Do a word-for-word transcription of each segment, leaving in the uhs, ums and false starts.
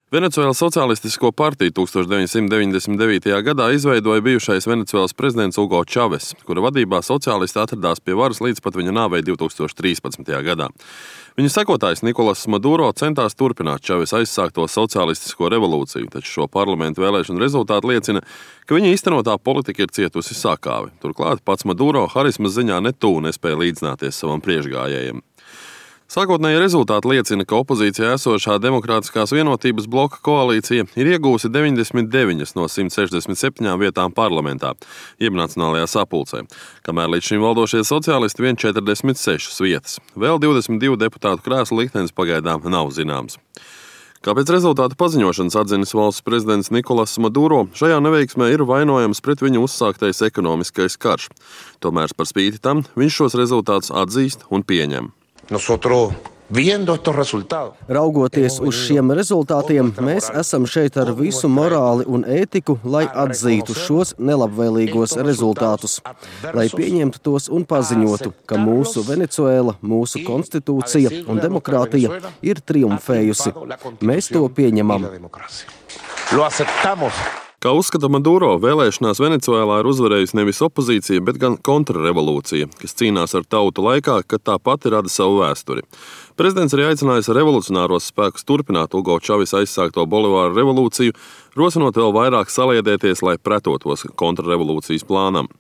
Venecuēlas Socialistisko partiju tūkstoš deviņsimt deviņdesmit devītajā gadā izveidoja bijušais Venecuēlas prezidents Ugo Čaves, kura vadībā sociālisti atradās pie varas līdz pat viņa nāvei divtūkstoš trīspadsmitajā gadā. Viņa sekotājs Nikolas Maduro centās turpināt Čaves aizsākto socialistisko revolūciju, taču šo parlamentu vēlēšanu rezultāti liecina, ka viņa īstenotā politika ir cietusi sakāvi. Turklāt pats Maduro harismas ziņā ne tuvu nespēja līdzināties savam priekšgājējiem. Sākotnēji rezultāti liecina, ka opozīcijā esošā Demokrātiskās vienotības bloka koalīcija ir iegūsi deviņdesmit deviņas no simt sešdesmit septiņām vietām parlamentā, jeb nacionālajā sapulcē, kamēr līdz šim valdošie sociālisti vien četrdesmit sešas vietas. Vēl divdesmit divu deputātu krēslu liktenis pagaidām nav zināms. Kā pēc rezultātu paziņošanas atzinis valsts prezidents Nikolas Maduro, šajā neveiksmē ir vainojams pret viņu uzsāktais ekonomiskais karš. Tomēr par spīti tam viņš šos rezultātus atzīst un pieņem. Nosotros, viendo estos resultados, Raugoties uz šiem rezultātiem, mēs esam šeit ar visu morāli un ētiku, lai atzītu šos nelabvēlīgos rezultātus, lai pieņemtu tos un paziņotu, ka mūsu Venecuēla, mūsu konstitūcija un demokrātija ir triumfējusi. Mēs to pieņemam. lo aceptamos. Kā uzskata Maduro, vēlēšanās Venecuēlā ir uzvarējusi nevis opozīcija, bet gan kontrrevolūcija, kas cīnās ar tautu laikā, kad tā pati rada savu vēsturi. Prezidents arī aicinājis revolucionāros spēkus turpināt Ugo Čaves aizsākto Bolivāru revolūciju, rosinot vēl vairāk saliedēties, lai pretotos kontrrevolūcijas plānam.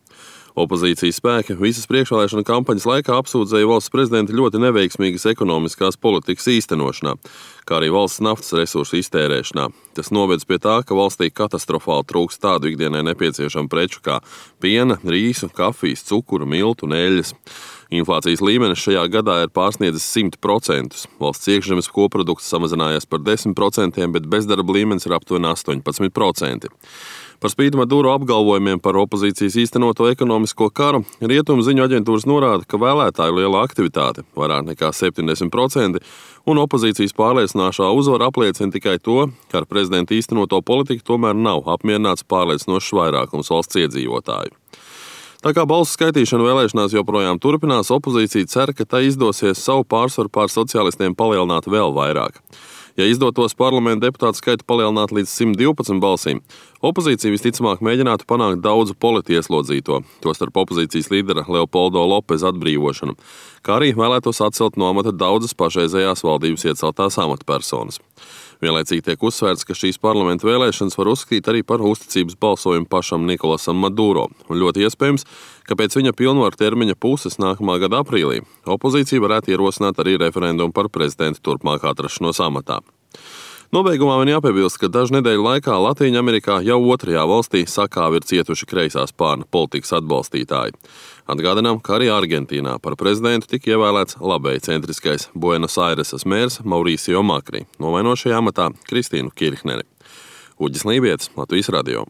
Opozīcijas spēki visas priekšvēlēšana kampaņas laikā apsūdzēja valsts prezidenta ļoti neveiksmīgas ekonomiskās politikas īstenošanā, kā arī valsts naftas resursu iztērēšanā. Tas novedz pie tā, ka valstī katastrofāli trūks tādu ikdienai nepieciešamu preču kā piena, rīsu, kafijas, cukuru, miltu un eļļas. Inflācijas līmenis šajā gadā ir pārsniedzis simt procentus. Valsts iekšzemes koprodukts samazinājies par desmit procentiem, bet bezdarba līmenis ir aptuveni astoņpadsmit procenti. Par spīti Maduro apgalvojumiem par opozīcijas īstenoto ekonomisko karu, rietumu ziņu aģentūras norāda, ka vēlētāju liela aktivitāte, vairāk nekā septiņdesmit procenti, un opozīcijas pārliecinošā uzvara apliecina tikai to, ka ar prezidenta īstenoto politiku tomēr nav apmierināts pārliecinošs vairākums valsts iedzīvotāju. Tā kā balsu skaitīšana vēlēšanās joprojām turpinās, opozīcija cer, ka tai izdosies savu pārsvaru pār sociālistiem palielināt vēl vairāk. Ja izdotos parlamenta deputātu skaitu palielināt līdz simt divpadsmit balsīm, opozīcija visticamāk mēģinātu panākt daudzu politieslodzīto, tostarp opozīcijas līdera Leopoldo Lopeza atbrīvošanu, kā arī vēlētos atcelt no amata daudzas pašreizējās valdības ieceltās amatpersonas. Vienlaicīgi tiek uzsvērts, ka šīs parlamenta vēlēšanas var uzskatīt arī par uzticības balsojumu pašam Nikolasam Maduro, un ļoti iespējams, ka pēc viņa pilnvaru termiņa puses nākamā gada aprīlī opozīcija varētu ierosināt arī referendumu par prezidenta turpmāk atrašanos amatā. Nobeigumā man jāpiebilst, ka dažu nedēļu laikā Latīņamerikā jau otrajā valstī sakāvi ir cietuši kreisā spārna politikas atbalstītāji. Atgādinām, ka arī Argentīnā par prezidentu tika ievēlēts labēji centriskais Buenos Airesas mērs Mauricio Macri, nomainot šajā amatā Kristīnu Kirchneri. Uģis Lībietis, Latvijas radio.